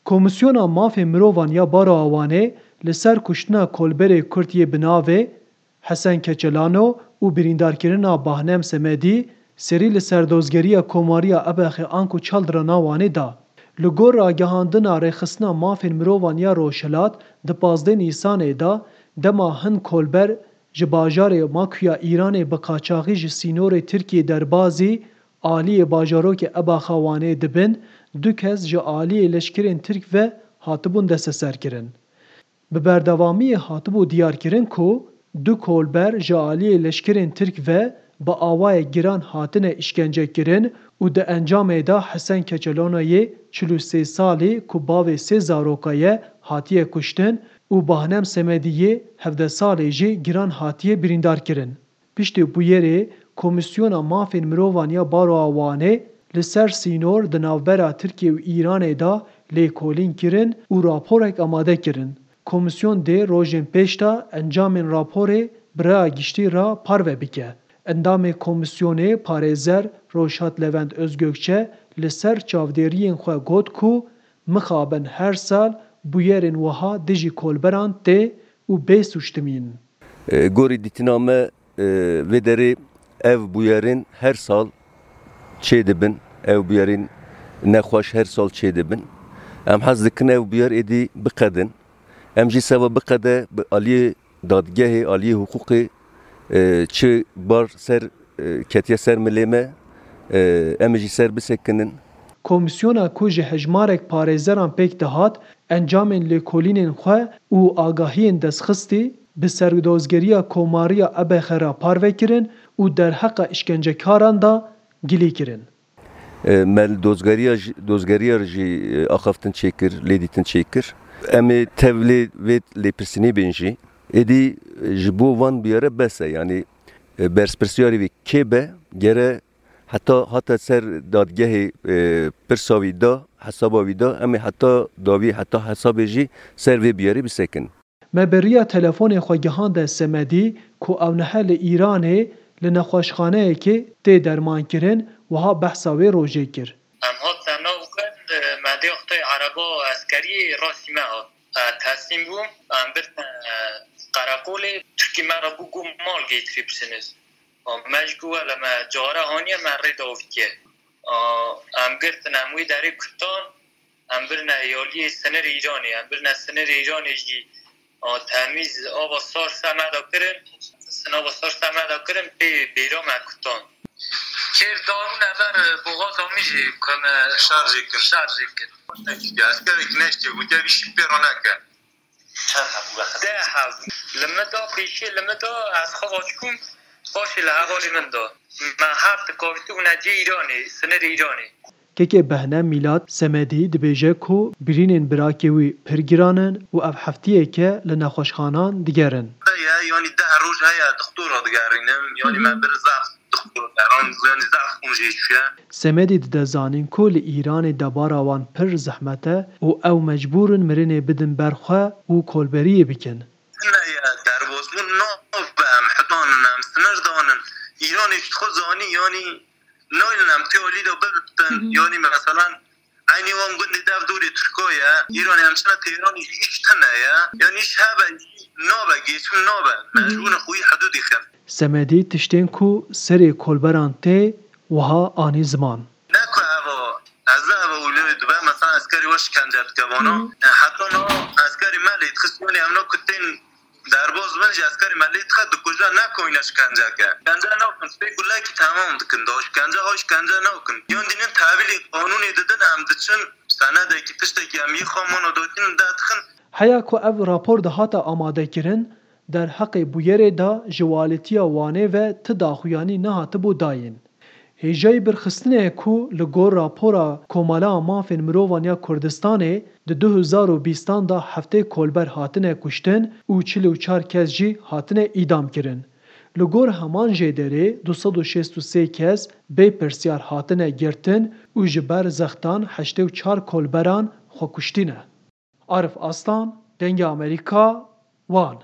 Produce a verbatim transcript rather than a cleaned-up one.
Komîsyona Mafên Mirovan ya Baroya Wanê li ser kuştina kolberê Kurd yê bi navê Hesen Keçelano û birîndarkirina Bahnem Semedî serî li ser dozgeriya Komariya Ebexê anku Çaldirana Wanê da. Li gor ragihandina Rêxistina Mafên Mirovan ya Rojhilat, di pazdeh Nîsanê de, dema hin kolber ji bajarê Makuya Îranê bi qaçaxî ji sînorê Tirkiyê derbazî aliyê bajarokê Ebaxa Wanê dibin, du kes ji aliyê leşkerên Tirk ve hatibûn desteserkirin. Bi berdewamiyê hatibû diyarkirin ku du kolber ji aliyê leşkerên Tirk ve bi awayek giran hatine îşkencekirin û di encamê de Hesen Keçelonayê çil û sê salî ku bavê sê zaroka ye hatiye kuştin û Bahnem Semediyê hevdeh salê jî giran hatiye birîndarkirin. Piştî bûyerê, Komîsyona Mafên Mirovan ya Baroya Wanê li ser sînor di navbera Tirkiye û Îranê de lêkolîn kirin û raporek amade kirin. Komîsyon dê rojên pêş de encamên raporê bi raya giştî re parve bike. Endamê komîsyonê parêzer Rojhat Levent Özgökçe li ser çavdêriyên xwe got ku mixabin her sal bûyerên wiha dijî kolberan tê û bê sûctimîn. E, gorî dîtina me, e, vê derê ev bûyerên her sal çêdibin, ev bûyerên nexweş her sal çêdibin. Em hez dikin ev bûyer êdî biqedin. Em jî seba biqede bi aliyê dadgehê, aliyê hiqûqê, e, çi bar ser, e, ketiye ser milê me, e, em ê jî ser bisekinin. Komîsyona ku ji hejmarek parêzeran pêk dihat, encamên lêkolînên xwe û agahiyên destxistî bi serdozgeriya Komariya Ebexe re parve kirin û derheqa îşkencekaran de gilî kirin. E, me li dozgeriya jî, dozgeriya re jî, e, axaftin çêkir, lêdîtin çêkir. Em ê tevlê vê lêpirsînê bên jî. Êdî, e, ji bo van bûyere bes e, yanî, e, berspersyarê wê kê be, gere heta hate ser dadgehê, e, pirsa wî da, hesaba wî da, em ê heta dawî, heta hesabê jî ser vê bûyerê bisekin. Me bi riya telefonê xwe gihande Semedî ku ew niha li Îranê li nexweşxaneyekê tê dermankirin, wiha behsa wê rojê kir. Em hatin nav xwe, me dê xwe ereba eskeriyê rastî me hat. E, teslîm bûm, em birine, e, qereqolê, Tirkî me re bû ku mal getiribsiniz. Me ji ku wele me cara haniye me rê davîtiye. Em girtin, em wî derê kutan, em birine aliyê sinirê Îranê, em birine sinirê Îranê jî, a, temîz ava sar se me da kirin, sinava sar se me da kirin, pê bêra me kutan. Kêr da min ever boxaza min jî ku me şarjê kir. Şarjê kir. Eskerek neştê, gotiye vî şî pê re neke. Çend hebû wextê? Deh hebû. Li min da pêşî, li min da ez xwe aç bûm, paşê li hevalê min da. Me her di kavîtî bûne cihê Îranê, sinirê Îranê. Kekê Behne Mîlat Semedî dibêje ku birînên birakê wî pir giran in û ev heftiyeke li nexweşxanan digerin. Heye, yanî deh roj heye, dixtora digerînim, yanî me bir zaf dixtora, yanî zaf xûn jê çûye. Semedî dide zanîn ku li Îranê debara wan pir zehmet e û ew mecbûr in mirinê bidin ber xwe û kolberiyê bikin. Tune ye, derbasbûn nabe, em hitan in, em sinir dan in. Îranê ji xwe zanî, yanî nayên em tê alî de bibtin, yanî meselan, eynî wan gundê dev dorê Tirka ye, Îranê em çine Teyranê jî îş tune ye, yanî îş hebe jî nabe, geçim nabe, mecbûr in xwe wî hidûdî xin. Semedî tiştên ku serê kolberan tê wiha anî ziman. Ne ku eva, ez ne eva wî lê dibe, mesela eskerî we şikence dike vana. E, heta na eskerî me lê dixist, yanî em na ku tên derbaz bin jî eskerî me lê dixe dikuje, ne ku wîne şikence ke. Şikence nakin, pê gulekî temam dikin da, şikence ha şikence nakin. Yan dînin tevîlê qanûnê didin, em diçin senedekî tiştekî em yê xwe mana datînin de dixin. Heya ku ev rapor dihata amadekirin, derheqê bûyerê de ji walîtiya Wanê ve ti daxuyanî nehatibû dayîn. Hêjayî birxistinê ye ku li gor rapora Komala Mafên Mirovan ya Kurdistanê di du hezar û bîstan de heftê kolber hatine kuştin û çil û çar kes jî hatine îdam kirin. Li gor heman jêderê du sed û şêst û sê kes bê pirsyar hatine girtin û ji ber zextan heştê û çar kolberan xwekuştî ne. Arif Aslan, Dengê Amerîka, Wan.